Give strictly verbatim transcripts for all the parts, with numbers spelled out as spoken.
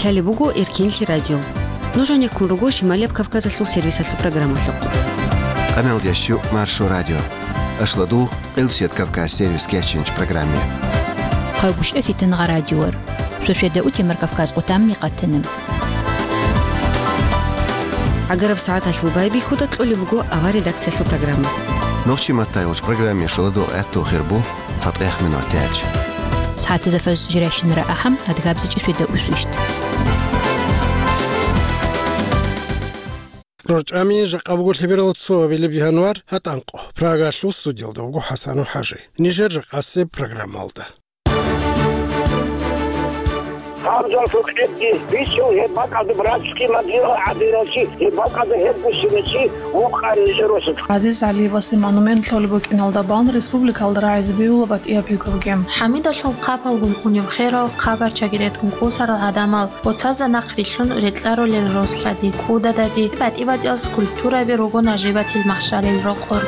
Лъалеб буго Эркенлъи радио. Нуж гӀенеккун руго Шималияб Кавказалъул сервисалъул программалъухъ. Къаналдящу Маршо радио. Ашладу Къилбсият Кавказ сервис кечинч программе. Къайгушев Фитангъа радиор. Сосведа утемар Кавказ къутамни къатанам. ГӀагараб сагӀаталъул байбихьуда кьолеб буго авар редакциялъул программа. Нохчи маттайулч программе шуладу гӀатту хирбу цатӀех минут тяч. СагӀатазафаз жиращинара ахӀам адгабзичӀи сосведа усвищт. РорчӀами жакъа буго лъеберал цо абилеб январ, гьатӀанкъо. Прагалъул студиялда вуго ХӀасанов ХӀажи. Нижер жакъасеб программалда. Гьабзалъул къедги бицун гьеб бакӀалда братский могила гӀадинав чи, гьеб бакӀалда гьеб буссине чи вукъан нижер росулъ. ГӀазиз ГӀалиевасе монумент лъолеб букӀиналда бан республикалда рагӀизе бегьула батӀияб пикруги. ХӀамидалъул хъапалгун унеб херал хъабарчаги ретӀун кӀусарал гӀадамал, боцазда нахърилълъун рекьарулел рос-лъади, кӀудадаби, батӀи-батӀиял скульптураби руго нажибатил махщалил рокъор.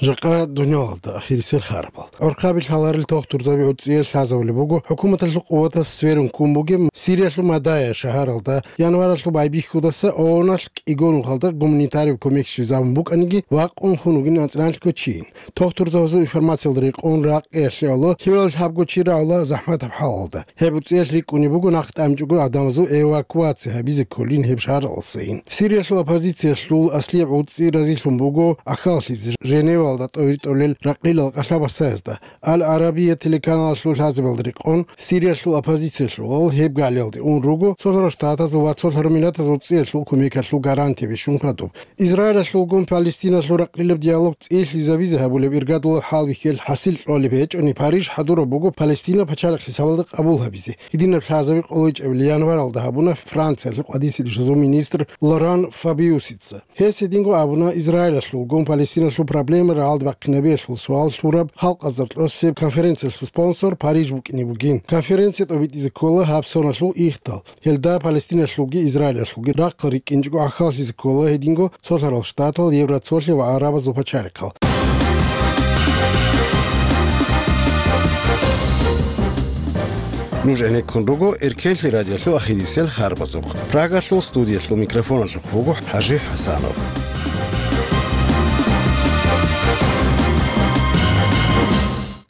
Жакъа дуниялалда ахирисел харабал. ГӀурхъаби лъаларел тохтурзаби гӀуцӀие лъазабулеб буго хӀукуматалъул къуватас сверун ккун бугеб Сириялъул Мадая шагьаралда январалъул байбихьудаса ООН-алъ кӀиго нухалда гуманитарив кумек щвезабун букӀаниги, вакъун хун вугин анцӀраналъго чийин. Тохтурзабазул информациялда рекъон ракъиялъе гӀоло, лъивал лъабго чи рагӀула захӀматаб хӀалалда. Гьеб гӀуцӀиялъ рикӀкӀунеб буго нахъ тӀамчӀого гӀадамазул эвакуация гьабизе кколин гьеб шагьаралдасайин. Сириялъул оппозициялъул аслияб гӀуцӀи разилъун буго ахьаллъизе Женевалда тӀовитӀулел ракъилал кӀалъа-басаязда. Ал-Арабия телеканалалъул лъазабиялда рекъон, Сириялъул оппозициялъул гьеб галиялде ун руго Цолъарал Штатазул ва Цолъарал Миллатазул гӀуцӀиялъул кумекалъул гарантия бищун хадуб. Израилалъулгун Палестиналъул ракъилаб диалог цӀилъизабизе гьабулеб иргадулаб хӀалбихьел хӀасил кьолеб гьечӀони, Париж хӀадураб буго Палестина пачалихъ хӀисабалда къабул гьабизе. Гьединаб лъазаби къолойчӀебили январалда гьабуна Франциялъул къватӀиса ришазул министр Лоран Фабиусица. Гьес гьединго абуна, Израилалъулгун Палестиналъул проблема рагӀалде бахъинабиялъул суал лъураб халкъазда кьосеб конференциялъул спонсор Париж букӀине бугин. Конференция тӀобитӀизе ккола гьаб соналъул ихтал. Гьелда Палестиналъулги Израилалъулги рахъал рикӀкӀинчӀого гӀахьаллъизе ккола гьединго Цолъарал Штатал, Евроцолъи ва гӀарабазул пачалихъал. Нуж гӀенеккун руго Эркенлъи радиолъул ахирисел харбазухъ. Прагалъул студиялъул микрофоналъухъ буго ХӀажи ХӀасанов.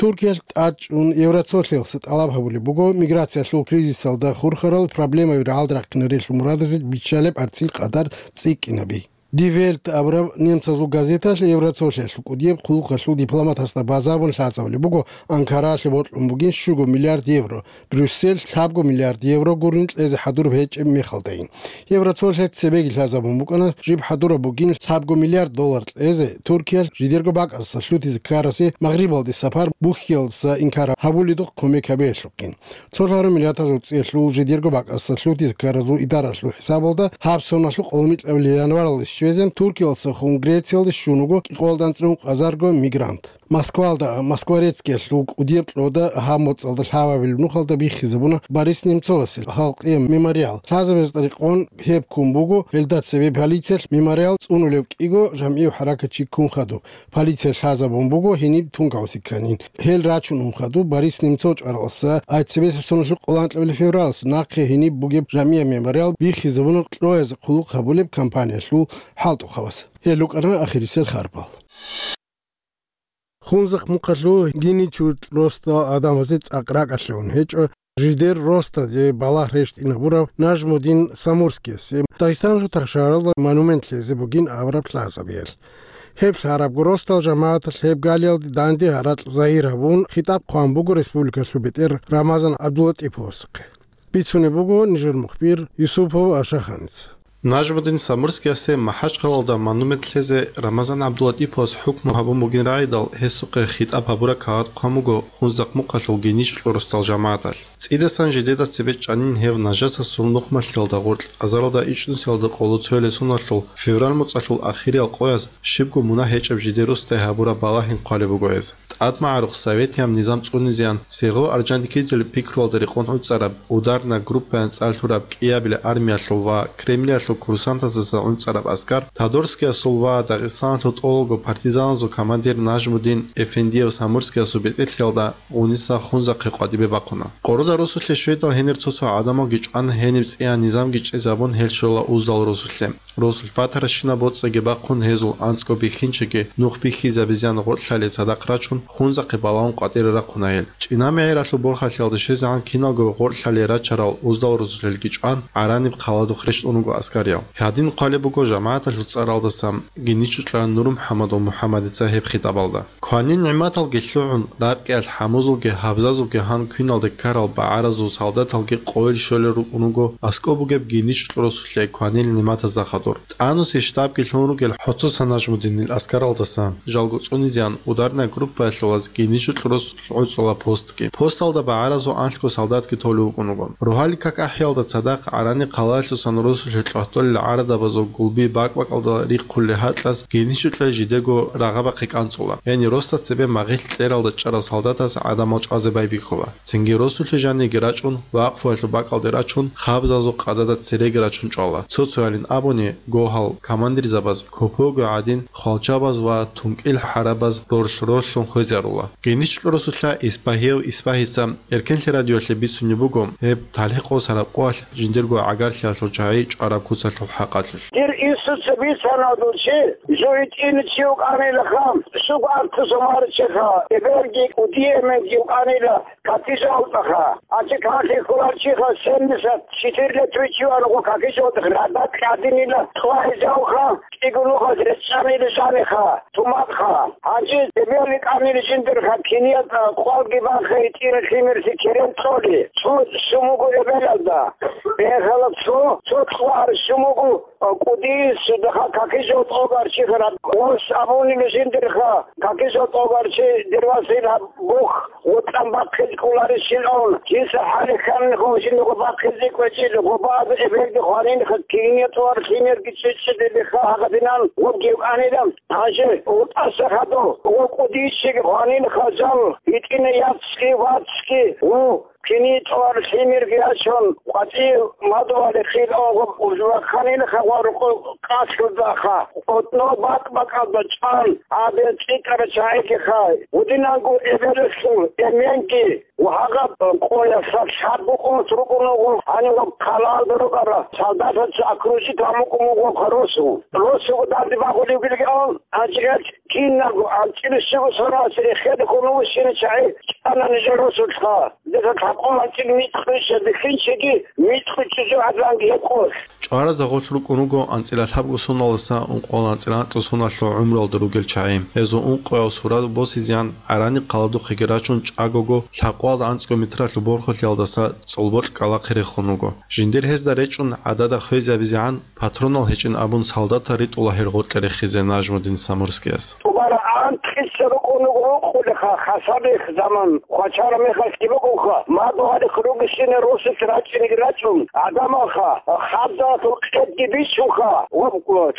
Туркиялъ тӀадчӀун Евроцолъиялъе тӀалаб гьабулеб буго миграциялъул кризисалда хурхарал проблемаби рагӀалде рахъинарелъул мурадазе биччалеб гӀарцӀил къадар цӀикӀкӀинаби. Die Welt абураб немцазул газеталъ Евроцолъиялъул кӀудияб хъулухъалъул дипломатасда базабун лъазабулеб буго Анкаралъе бокьун бугин щуго миллиард евро, Брюссель лъабго миллиард евро гурин кьезе хӀадураб гьечӀеб мехалдайин. Евроцолъиялъ цебеги лъазабун букӀана, жиб хӀадураб бугин лъабго миллиард доллар кьезе Туркиялъ жидерго бакӀасдаса лъутизе ккарасе Магърибалде сапар бухьиялдаса инкар гьабуледухъ кумек гьабиялъухъин. Цолъарал Миллатазул ГӀуцӀиялъул жидерго бакӀасдаса лъутизе ккаразул идаралъул хӀисабалда гьаб соналъул къоло микьабилеб январалде щвезегӀан Туркиялдаса хун Грециялде щун вуго кӀикъоялда анцӀрун къазарго мигрант. Москвалда, Москворецкиялъул кӀудияб кьода гьаб моцӀалда лъабабилеб нухалда биххизабуна Борис Немцовасе халкъияб мемориал. Лъазабазда рекъон гьеб ккун буго, гьелда цебе полициялъ мемориал цӀунулев кӀиго жамгӀияв хӀаракатчи ккун хадуб. Полициялъ лъазабун буго гьениб тункаосе кканин. Гьел рачун ун хадуб Борис Немцов чӀваралдаса, ай цебесеб соналъул къоло анкьабилеб февралалдаса нахъе гьениб бугеб жамгӀияб мемориал биххизабуна кьоязе хъулухъ гьабулеб компаниялъул хӀалтӀухъабаз. Гьел рукӀана ахирисел харбал. Хунзахъ мухъалъул Гьиничурт росдал гӀадамазе цӀакъ ракӀалъе ун гьечӀо, жидер росдазе балагь рещтӀинабурав Нажмудин Самурскиясе Дагъистаналъул тахшаралда монумент лъезе бугин абураб лъазабиялъ. Гьеб лъарабго росдал жамагӀаталъ гьеб галиялде данде гьаракь загьир гьабун, хитӀаб хъван буго республикалъул бетӀер Рамазан ГӀабдулатӀиповасухъе. Бицунеб буго нижер мухбир Юсупов Ашаханица. Нажмудин Самурскиясе МахӀачхъалалда монумент лъезе Рамазан ГӀабдулатӀиповас хӀукму гьабун бугин рагӀидал, гьесухъе хитӀаб гьабураб кагъат хъван буго Хунзахъ мухъалъул Гьиничурт росдал жамагӀаталъ. ЦӀидасан жидеда цебе чӀанин гьев нажасасул нухмалъиялда гъоркь азаралда ичӀнусиялда къоло цоялесуналъул февраль моцӀалъул ахириял къояз щибго мунагь гьечӀеб жидер росдае гьабураб балагьин хъвалеб буго гьез. ТӀадмагӀарухъ советияб низам цӀунизеян, Сергъо Орджоникидзе пикруялда рекъон гӀуцӀараб, ударная группаян цӀар лъураб кӀиабилеб армиялъул ва Кремлиялъул курсантасдаса гӀуцӀараб аскар Тодорскиясул ва Дагъистаналъул тӀолго партизаназул командир Нажмудин Эфендиев Самурскиясул бетӀерлъиялда Униса хунзахъе къватӀибе бахъуна. Къоруда росулъе щведал гьенир цо-цо гӀадамалги чӀван, гьениб цӀиян низамги чӀезабун, гьел щола Уздал росулъе. Росулъ батаращинаб боцӀиги бахъун, гьезул анцӀго бихьинчиги нух бихьизабизеян гъоркьлъалие цадахъ рачун, хунзахъе балагьун къватӀире рахъуна гьел. ЧӀина-мегӀералъул борхалъиялда щвезегӀан киналго гъоркьлъалие рачарал Уздал росулъелги чӀван, ГӀараниб хъаладухъ рещтӀун руго аскариял. Гьадин хъвалеб буго жамагӀаталъул цӀаралдаса Геничукьа Нурмухьаммадул МухӀаммадица гьеб хитӀабалда. Кванил нигӀматалги лъугӀун, ракӀиялъ хӀамузулги гьабзазулги гьан квиналде ккарал багӀаразул солдаталги къойил щолел рукӀун руго аскӀоб бугеб Геничукьа росулъе кванил нигӀматазда хадур. ТӀануси штабги лъун ругел ХӀоцоса Нажмудинил аскаралдаса жалго цӀунизеян ударная группаялъулаз Геничукьа росулъ гӀуцӀула постги. Посталда багӀаразул анлъго солдатги толев вукӀун вуго. Рогьалил как ахӀиялда цадахъ ГӀарани хъалаялъусан росулъе кьватӀолел гӀарадабазул гулби бакӀ-бакӀалда рихъулел гьакьаз Геничукьа жидего рагъабахъе кӀанцӀула. Гьенир росда цебе магъилъ кьералда чӀарал солдатаз гӀадамал чӀвазе байбихьула. Цинги росулъе жаниги рачӀун, вакъфуялъул бакӀалде рачун, хабзазул къадада цереги рачун чӀвала. Цо-цоялин абуни, гогьал командирзабаз, копого гӀадин, хвалчабаз ва тункӀил хӀарабаз ролъ-ролъун хвезарула. Геничукьа росулъа Исбагьияв Исбагьица Эркенлъи радиоялъе бицунеб буго гьеб талихӀ къосараб къоялъ жиндирго гӀагарлъиялъул чагӀи чӀвараб куцалъул хӀакъалъулъ. Дир инсуца бицана дов чи, жо итӀина чи вукӀанилаха, суг артуса марчеха, эбелги кӀудиеменги вукӀанила какижалтӀаха. Ачи калъи кколарчиха семьдесят четыре лет вичиван гъо какижалтӀах, радат кьадинила кьвагьизавха, кӀигунухаз речӀчӀанили жаниха. Туматха, гьанже эбел рикӀкӀанил жиндирха киният, а, къвалги бахъи тӀира лъимерси керен кьоли, цо сумугу эбелалда. Бегьала цо, цо кьвар сумугу, а, кӀудиз цо дахъа какижо тӀогар чи хара. Ос абунил жиндирха, какижо тӀогар чи дирвасил гьаб бух вутӀан бахъиз кӀоларищилан, жинса хӀалихьанин хъун жиндирго бахъизе кӀвечӀил, гъобаз эбелги хванинха киният тӀвар лъимерги чӀечӀидилиха гьагъадинан гъобги вукӀанила. Гьанже вутӀаса хадур, ва кӀудиз чиги гьанил хазал, гьитӀина яцги вацги, ву, кини тӀвар лъимерги ячун, къватӀив мадугьали хил огъуб уржуахъанил хагъварухъ къасулдаха, къотӀно бакӀ-бакӀалда чӀван, гьабе цӀикӀкӀара чагӀиги хай, гьудинанго эбелалъул эменги, Ва гьагъаб къоялъ лъабго къос рукӀун вуго, гьанив хъалаялда рукӀарал солдатаца окружить гьамукӀун вуго росу. Росуго данде багъулев вилгӀун, анцӀила кинабго анцӀила щуго соналъ рехеде хьун вуссине чагӀи чӀана нижер росулъха. Дица лъабкъо анцӀила микьгӀища бихьинчиги, микьгӀи чӀужугӀадлъанги гьеб къос. ЧӀваразда гъолъ рукӀун руго анцӀила лъабго соналдаса ункъоялда анцӀила анкьго соналъул гӀумруялда ругел чагӀи. Гьезул ункъояв сурат босизеян ГӀарани хъаладухъеги рачун чӀагого лъабкъоялда анцӀго метралъул борхалъиялдаса цӀолбокь кӀкӀалахъе рехун руго. Жиндир гьезда речӀчӀун гӀадада хвезабизегӀан патронал гьечӀин абун солдатал ритӀула гьел гъоркье рехизе Нажмудин Самурскияс. ТӀубара анкьиса рукӀун руго рукъулеха, хасабихъ заман. Хвачараб мехалъги букӀунха, мадугьалихъ ругесине росулъ рачӀинеги рачӀун, гӀадамалха, хабзалъул къедги бичунха, ва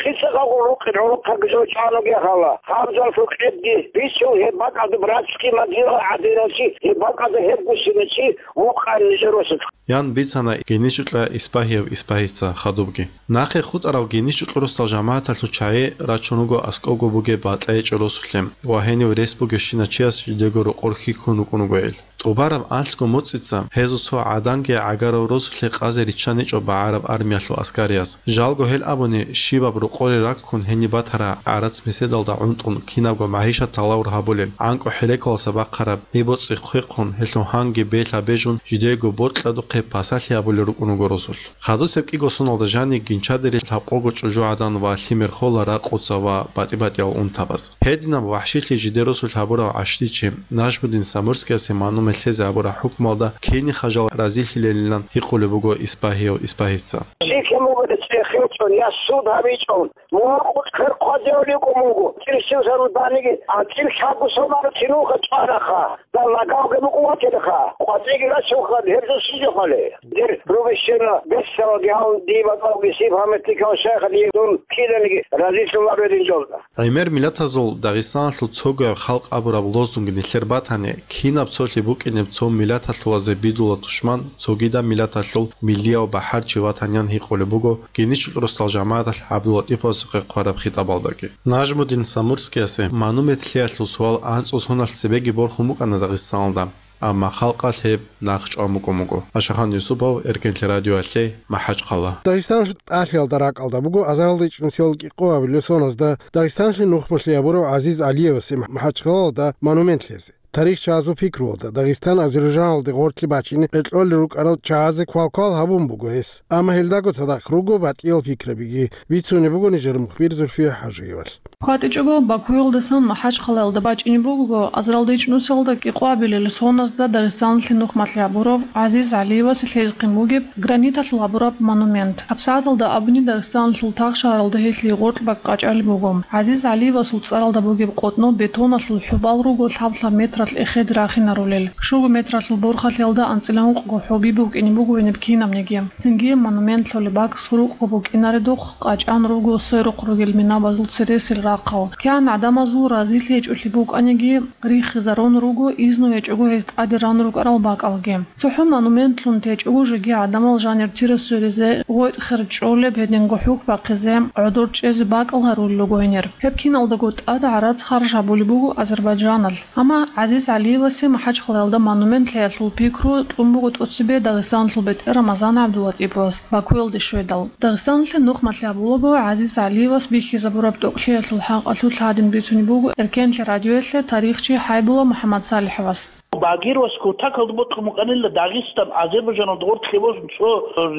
лъица гъагъун рукъин гӀурухъаги жо чӀвануги гьала, хабзалъул къедги бичун, гьеб бакӀалда братский могила гӀадиналъи, гьеб бакӀалда гьебгусиначи вукъан нижер росулъ. Ян бицана Геничукьа Исбагьияв Исбагьица хадубги. Нахъе хутӀарал Геничукьа росдал жамагӀаталъул чагӀи рачун руго аскӀобго бугеб БатӀайчӀа росулъе ва гьенив рес бугебщинав чияс жидего рокъор хьихьун рукӀун руго гьел. ТӀубараб анлъго моцӀица гьезул цо гӀаданги гӀагарав росулъе къазе риччаничӀо багӀараб армиялъул аскарияс. Жалго гьел абуни, щибаб рокъоре раккун гьениб батараб гӀарац-меседалда гӀунтӀун кинабго магӀишат талавур гьабулел, гӀанкӀу хӀерекаласа бахъараб гьеб боцӀи хъвехъун, гьелъул гьанги бел гьабежун жидего бокьадухъе пасалъи гьабулел рукӀун руго росулъ. Хадусеб кӀиго соналда жаниб гинчадери лъабкъого чӀужугӀадан ва лъимер хола ракъуца ва батӀи-батӀиял унтабаз. Гьединаб вахӀшилъи жидер росулъ гьабурав гӀащдичи Нажмудин Самурскиясе манумел лъезе гьабураб хӀукмуялда киниха жал разилъилелилан гьикъулеб буго Исбагьияв Исбагьица. ЛъикӀа мугӀда цӀехе чӀо Я суд гьабичӀун, мугьал къучӀ квер хъвазевали йикӀун буго, цӀир щивсарун даниги, а цӀир лъабго сомал кинулха чӀвараха, дан лагавги букӀун ватилха, къватӀиги рачунха, гьеб жо щижахъали. Дир рубищера бесалги гьал диб бакӀалги сиб гьаметлъикал шайха дие дун киданиги разилъун абе динжолда. ГӀемер миллатазул Дагъистаналъул цогояб халкъ абураб лозунг нилъер батани, кинаб цолъи букӀинеб цо миллаталъулазе бидула тушман, цогидаб миллаталъул миллияв бахӀарчи ватанян гьикъулеб буго Геничул росдал жамагӀаталъ ГӀабдуллатӀиповасухъе хъвараб хитӀабалдаги. Нажмудин Самурскиясе монумент лъиялъул суал анцӀу соналъ цебеги борхун букӀана Дагъистаналда. Амма халкъалъ гьеб нахъчӀван букӀун буго. Ашахан Юсупов, Эркенлъи радиоялъе, МахӀачхъала. Дагъистаналъул тӀалъиялда ракӀалда буго азаралда ичӀнусиялда кӀикъоабилеб соналъ Дагъистаналъе нухмалъи гьабурав ГӀазиз ГӀалиевасе МахӀачхъалалда монумент лъезе. Тарихчиясул пикруялда, Дагъистан Азербайджаналде гъоркье бачине кьолел рукӀарал чагӀазе квалквал гьабун буго гьес. Амма гьелдаго цадахъ руго батӀиял пикрабиги, бицунеб буго нижер мухбир Зульфия ХӀажиевалъ. КватӀичӀого Бакуялдасан МахӀачхъалаялда бачӀине буго азаралда ичӀнусиялда кӀикъоабилел соналъ Дагъистаналъе нухмалъи гьабурав ГӀазиз ГӀалиевасе лъезехъин бугеб граниталъул гьабураб монумент. ГьабсагӀаталда абуни Дагъистаналъул тахшагьаралда гьелъие гъоркь бакӀ къачӀалеб буго. ГӀазиз ГӀалиевасул цӀаралда бугеб къотӀно бетоналъул хӀубал руго лъаб-лъаб метралъ эхеде рахинарулел. Щуго метралъул борхалъиялда анцӀила ункъго хӀуби букӀине буго гьениб кинабниги. Цинги монумент лъолеб бакӀ сурукъго букӀинаредухъ къачӀан руго сверухъ ругел минабазул цересел рахъал. КигӀан гӀадамазул разилъи гьечӀолъи букӀаниги, риххизарун руго изну гьечӀого гьез тӀаде ран рукӀарал бакӀалги. ЦохӀо монументлъун течӀого жеги гӀадамал жанир тира сверизе, гъветӀ хер чӀолеб гьединго хӀухь бахъизе, гӀодор чӀезе бакӀал гьарулел руго гьенир. Гьеб киналдаго тӀад гӀарац харж гьабулеб буго Азербайджаналъ. Амма ГӀазиз ГӀалиевасе МахӀачхъалаялда монумент лъеялъул пикру кьун буго тӀоцебе Дагъистаналъул бетӀер Рамазан ГӀабдулатӀиповас Бакуялде щведал. Дагъистаналъе нухмалъи гьабулаго, ГӀазиз ГӀалиевас бихьизабураб тӀокӀлъиялъул хӀакъалъулъ гьадин бицунеб буго Эркенлъи радиоялъе тарихчи ХӀайбула МухӀаммад СалихӀовас. Багировас кутакалда бокьун букӀанила Дагъистан Азербайджаналда гъоркье босун цо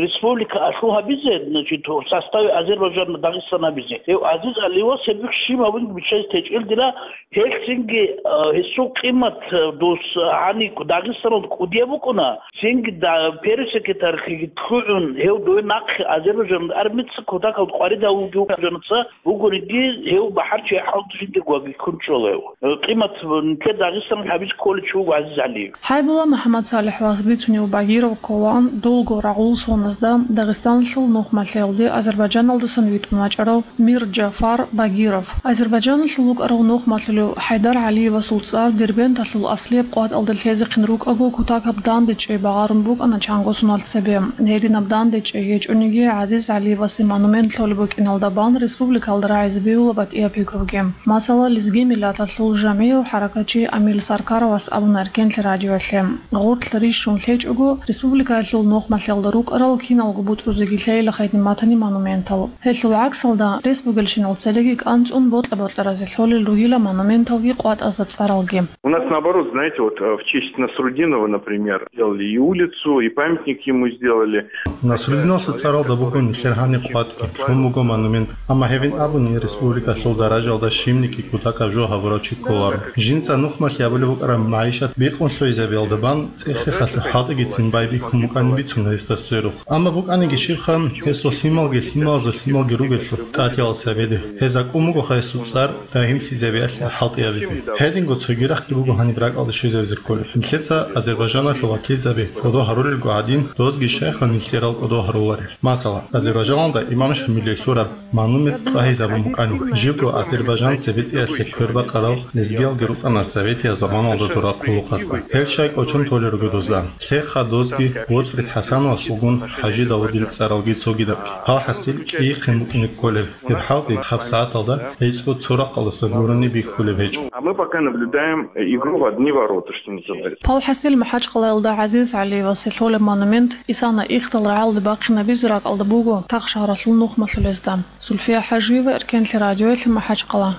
республика алъу гьабизе, значит, в составе Азербайджана Дагъистан гьабизе. Гьев ГӀазиз ГӀалиевас гьеб щиб гьабун биччазе течӀел дила, гьелъ цинги, э, гьесул къимат, э, дус гьаниб Дагъистаналда кӀудияб букӀуна, цинги да-, пересекретарьлъиги лъугӀун, гьев дове нахъе Азербайджаналда армица кутакалда къварид гьавулги вукӀана ца, бугониги, гьев бахӀарчи хӀалтӀи жиндирго ваги ккун чӀола гьев. Э, къимат нилъер Дагъистаналъ гьабизе кколев чи вуго ГӀазиз ГӀалиев. ХӀайбула МухӀаммад СалихӀовас бицунев Багиров ккола, дулго рагъул соназда Дагъистаналъул нухмалъиялде Азербайджаналдасан витӀун вачӀарав Мир Джафар Багиров. Азербайджаналъул вукӀарав нухмалъулев ХӀайдар ГӀалиевасул цӀар Дербенталъул аслияб къватӀалда лъезехъин рукӀаго, кутакаб дандечӀей багъарун букӀана чанго соналъ цебе. Гьединаб дандечӀей гьечӀониги, ГӀазиз ГӀалиевасе монумент лъолеб букӀиналда бан республикалда рагӀизе бегьула батӀияб пикруги. Масала, лезги миллаталъул жамгӀияв хӀаракатчи Амил Саркаровас абуна Эркенлъи радиоялъе, гъоркь рищун лъечӀого, республикаялъул нухмалъиялда рукӀарал киналго бутӀрузеги лъейилахъе гьедин батани монументал. Гьелъул гӀаксалда, рес бугелщинал цереги кӀанцӀун бокьа-бокьаразе лъолел ругила монументалги къватӀазда цӀаралги. У нас наоборот, знаете, вот э, в честь Насруддинова, например, сделали и улицу, и памятник ему сделали. Насруддиновасул цӀаралда буго нилъер гьаниб къватӀги, лъун буго монумент. Амма гьебин абуни, республикалъул даражалда щибниги кутакаб жо гьабурав чи кколаро. Жинца нухмалъи гьабулеб букӀараб магӀишат бикъун лъугӀизабиялда бан, цӀех-рехалъул хӀалтӀигицин байбихьун букӀанин бицун гьесда сверухъ. Амма букӀаниги щибха, гьесул лъималги, лъималазул лъималги ругелъул тӀалъиялъ гьабизе. Гьез акӀун бугоха гьесул цӀар дагьимлъизабиялъе хӀалтӀи гьабизе. Гьединго цоги рахъги буго гьаниб ракӀалде щвезабизе кколеб. Нилъеца Азербайджаналъул вакилзаби кӀодо гьарулелго гӀадин, дозги щайха нилъерал кӀодо гьаруларел. Масала, Азербайджаналда имам Шамилие лъураб монумент тӀагьизабун букӀана. Живго азербайджанци бетӀиялъе квербакъарал лезгиялги рукӀана советиял заманалда дора хъулухъазда. Гьел щай кӀочон толел руго дозда. Лъеха дозги Готфрид ХӀасановасулгун ХӀажи Давудил цӀаралги цогидабги. Гьалхьасил кӀийихъин букӀине кколеб гьеб хӀалтӀи гьабсагӀаталда гӀицӀго цо рахъалдасан гурони бихьулеб гьечӀо. А мы пока наблюдаем игру в одни ворота, что называется. Палхасил МахӀачхъалаялда ГӀазиз ГӀалиевасе лъолеб монумент исана ихдал рагӀалде бахъинабизе ракӀалда буго тахшагьаралъул нухмалъулезда. Зульфия ХӀажиева, Эркенлъи радиоялъе, МахӀачхъала.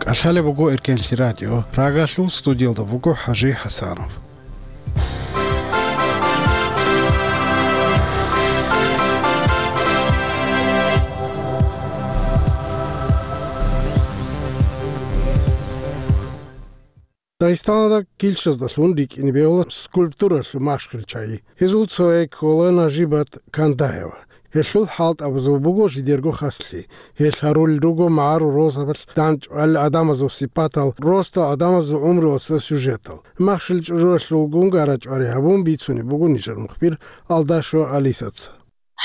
КӀалъалеб буго Эркенлъи радио. Прагалъул студиялда вуго ХӀажи ХӀасанов. Дагъистаналда килщаздалъун рикӀкӀине бегьула скульптуралъул махщел чагӀи. Гьезул цояй ккола Нажибат Кандаева. Гьелъул хӀалтӀабазул буго жидерго хаслъи. Гьелъ гьарулел руго магӀарул росабалъ дандчӀвал гӀадамазул сипатал, росдал гӀадамазул гӀумруялъа сюжетал. Махщел чӀужуялъул гунгарачӀвари гьабун бицунеб буго нижер мухбир Алдашева Алисаца.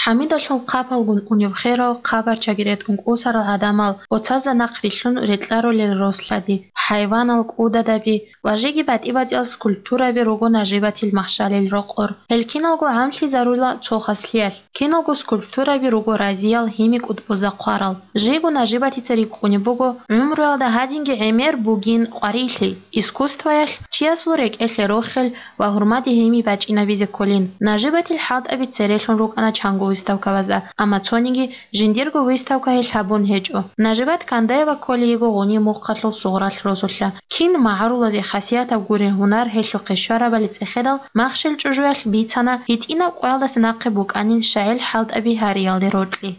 ХӀамидалъул хъапалгун унев херав, хъабарчаги ретӀун кӀусарал гӀадамал, оцазда нахърилълъун рекьарулел рос-лъади, хӀайванал, кӀудадаби ва жеги батӀи-батӀиял скульптураби руго Нажибатил махщалил рокъор. Гьел киналго гӀамлъизарула цо хаслъиялъ, киналго скульптураби руго разиял гьими кӀутӀбузда хъварал. Жего Нажибатица рикӀкӀунеб буго, гӀумруялда гьадинги гӀемер бугин къварилъи, искусствоялъ чиясул рекӀелъе рохел ва гьурмаде гьими бачӀинабизе кколин. Нажибатил хӀалтӀаби церелъун рукӀана чанго выставкабазда, амма цониги жиндирго выставка гьелъ гьабун гьечӀо. Нажибат Кандаева кколей йиго гъуниб мухъалъул сугъралъ росулъа. Кин магӀарулазе хасиятаб гурин гьунар гьелъухъе щварабали цӀехедал, махщел чӀужуялъ бицана гьитӀинаб къоялдаса нахъе букӀанин шагӀил хӀалтӀаби гьариялде рокьи.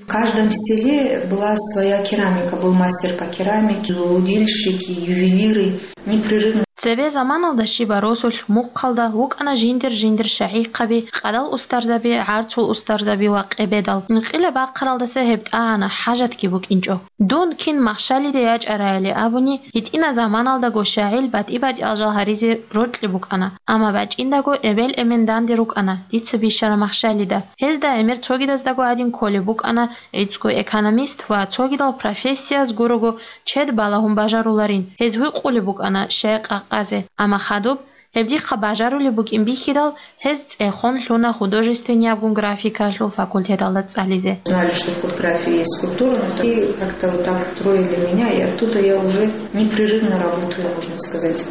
В каждом селе была своя керамика, был мастер по керамике, удильщики, ювелиры. Непрерывно. Цебе заманалда щибаб росулъ мухъалда вукӀана жиндир-жиндир шагьихъаби, къадал устарзаби, гӀарцул устарзаби ва къебедал. Инкъилаб бахъаралдаса гьеб тӀагӀана, хӀажатги букӀинчӀо. Дун кин махщалиде ячӀарайали абуни, гьитӀина заманалдаго шагӀил батӀи-батӀиял жал гьаризе рокьи букӀана, амма бачӀиндаго эбел-эмен данде рукӀана дица бищараб махщалида. Гьезда гӀемер цогидаздаго гьадин кколеб букӀана, гӀицӀго экономист ва цогидал профессияз гурого чед балагьун бажаруларин. Гьез гьуй къулеб букӀана щай къакъазе, амма хадуб, гьеб дихъа бажарулеб букӀин бихьидал, гьез цӀехон лъуна художественниябгун графикалъул факультеталда цӀализе. Знали, что в худграфии есть скульптура, но и как-то вот так троили меня, и оттуда я уже непрерывно работаю, можно сказать.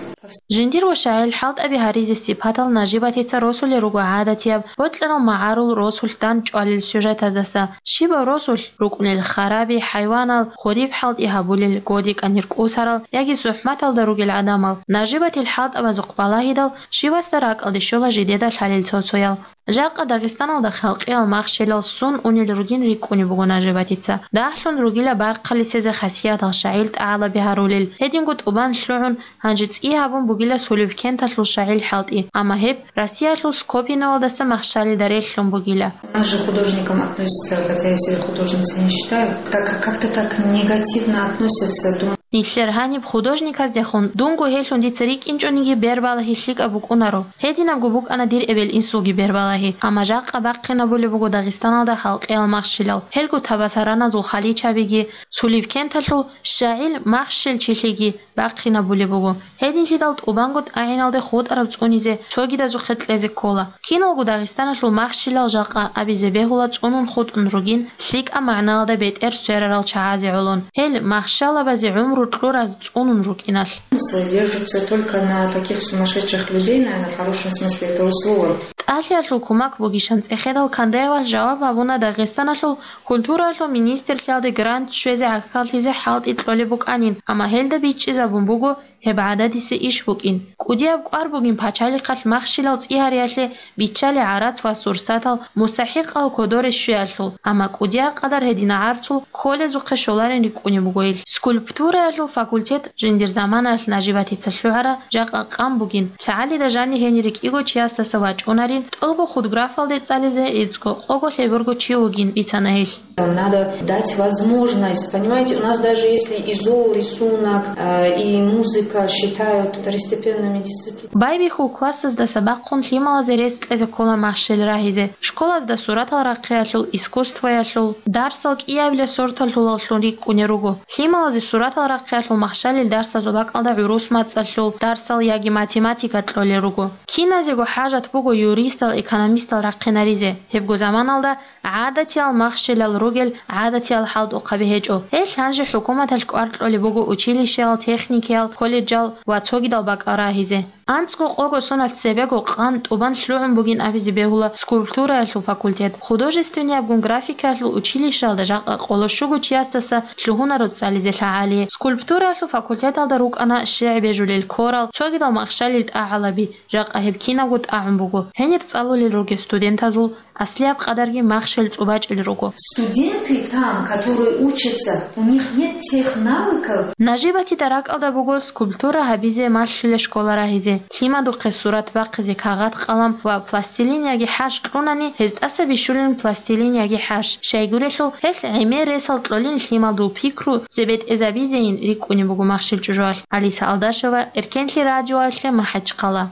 Жиндир ва шагӀил хӀалтӀаби гьаризе сипатал Нажибатица росулел руго гӀадатияб, бокьарал магӀарул росулъ дандчӀвалел сюжетаздаса. Щибаб росулъ рукӀунел хараби, хӀайванал, хуриб хӀалтӀи гьабулел, годикӀанир кӀусарал яги зухӀматалда ругел гӀадамал. Нажибатил хӀалтӀабазухъ балагьидал, щивасда ракӀалде щола жидеда лъалел цо-цоял. Жакъа Дагъистаналда халкъиял махщелал сун унел ругин рикӀкӀунеб буго Нажибатица. Дагьлъун ругила бархъалисезе хасиятал шагӀил тӀагӀалаби гьарулел, гьединго тӀубан лъугӀун, гьанже цӀи гьабун бугила Сулевкенталъул шагӀил хӀалтӀи, амма гьеб Россиялъул Скопиневалдаса махщалида релълъун бугила. У нас же художникам относятся, хотя я себя художницей не считаю, как, как-то так негативно относятся. Дум- Нилъер гьаниб художниказдехун дунго гьелъун дица рикӀкӀинчӀониги бербалагьи лъикӀаб букӀунаро. Гьединабго букӀана дир эбел-инсулги бербалагьи, амма жакъа бахъинабулеб буго Дагъистаналда халкъиял махщелал, гьелго табасараназул халичабиги, Сулевкенталъул шагӀил махщелчилъиги бахъинабулеб буго. Гьединлъидал тӀубанго тӀагӀиналде хутӀараб цӀунизе цогидазухъе кьезе ккола. Киналго Дагъистаналъул махщелал жакъа абизе бегьула цӀунун хутӀун ругин, лъикӀаб магӀналда бетӀер сверарал чагӀазе гӀолон, гьел махщалабазе гӀумру кьураз цӀунун рукӀиналъ. Смыслы держатся только на таких сумасшедших людей, наверное, в хорошем смысле этого слова. ТӀалъиялъул кумак бугищан цӀехедал Кандаевалъ жаваб гьабуна Дагъистаналъул культуралъул министрлъиялде грант щвезе гӀахьаллъизе хӀалтӀи кьолеб букӀанин, амма гьелда бичӀчӀизабун буго гьеб гӀададиса иш букӀин. КӀудияб кӀвар бугин пачалихъалъ махщелал цӀи гьариялъе биччалел гӀарац ва сурсатал мустахӀикъал кодоре щвеялъул, амма кӀудияб къадар гьединал гӀарцул кколезухъе щоларин рикӀкӀунеб буго ил. Скульптураялъул факультет жиндир заманаялъ Нажибатица лъугӀараб жакъа къан бугин, лъагӀалида жаниб гьенир рикӀкӀиго чиясдаса вачӀунарин, тӀолго худграфалде цӀализе гӀицӀго къого лъеберго чи вугин бицана гьелъ. Надо дать возможность, понимаете, у нас даже если и зоорисунок, э, и музыка считают второстепенными дисциплинами. Байбихьул классаздаса бахъун лъималазе рес кьезе ккола махщел рагьизе, школазда суратал рахъиялъул, искусствоялъул, дарсал кӀиабилеб сорталъулаллъун рикӀкӀунел руго. Лъималазе суратал рахъиялъул махщалил дарсазул бакӀалда гӀурус мацӀалъул дарсал яги математика кьолел руго. Киназего хӀажат буго юристал, экономистал рахъинаризе. Гьебго заманалда гӀадатиял махщелал ругел гӀадатиял хӀалтӀухъаби гьечӀо. Гьелъ гьанже хӀукуматалъ кӀвар кьолеб буго училищеял, техникиял, колледжал ва цогидал бакӀал рагьизе. АнцӀго-къого соналъ цебего къан тӀубан лъугӀун бугин абизе бегьула скульптураялъул факультет. Художественный абгун графикаялъул училищалда жакъа къоло щуго чиясдаса лъугьунаро цӀализе лъагӀалие. Скульптураялъул факультеталда рукӀана щегӀ бежулел корал, цогидал махщалил тӀагӀалаби, жакъа гьеб кинабго тӀагӀун буго. Гьенир цӀалулел ругел студентазул аслияб къадарги махщел цӀубачӀел руго. Студенты там, которые учатся, у них нет тех навыков. Нажибатида ракӀалда буго скульптура гьабизе малъулел школа рагьизе. Лъимадухъе сурат бахъизе кагъат-къалам ва пластилин яги хӀарш кьунани, гьез тӀаса бищулин пластилин яги хӀарш. Щайгурелъул, гьелъ гӀемер ресал кьолин лъимадул пикру зебетӀезабизейин рикӀкӀунеб буго махщел чӀужуялъ. Алиса Алдашева, Эркенлъи радиоялъе, МахӀачхъала.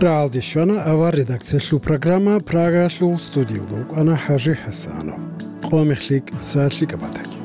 РагӀалде щвана авар редакциялъул программа, Прагаялъул студиялда вукӀана ХӀажи ХӀасанов. Къо мехлъи, са лъикӀаб батаги.